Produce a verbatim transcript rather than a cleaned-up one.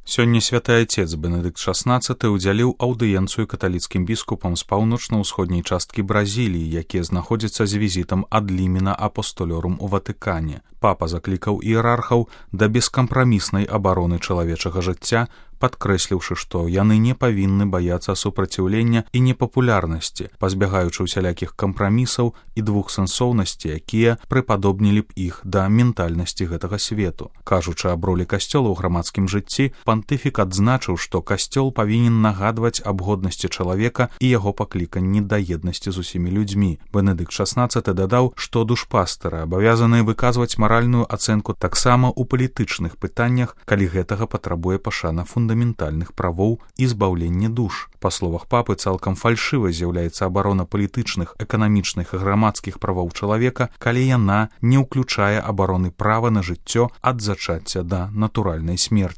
Сёння святы айцец Бенедыкт шаснаццаты ўдзяліў аўдыенцыю каталіцкім біскупам з паўночна-ўсходняй часткі Бразіліі, якія знаходзяцца з візітам ад лімена апостолёрум у Ватыкане. Папа заклікаў іерархаў да бескампраміснай абароны чалавечага жыцця, падкрэсліўшы, што яны не павінны баяцца супраціўлення і непапулярнасці, пазбягаючы ўсялякіх кампрамісаў і двухсэнсоўнасці, якія прыпадобнілі б іх да ментальнасці гэтага свету. Кажучы аб ролі касцёла ў грамадскім жыцці, пантыфік адзначыў, што касцёл павінен нагадваць аб годнасці чалавека і яго пакліканні да еднасці з усімі людзьмі. Бенедыкт шаснаццаты дадаў, што душпастары абавязаныя выказваць маральную ацэнку таксама ў палітычных пытаннях, калі гэтага патрабуе пашана фундаментальных правоў і збаўлення душ. Па словах папы, цалкам фальшывай з'яўляецца абарона палітычных, эканамічных і грамадскіх правоў чалавека, калі яна не ўключае абароны права на жыццё ад зачацця да натуральнай смерці.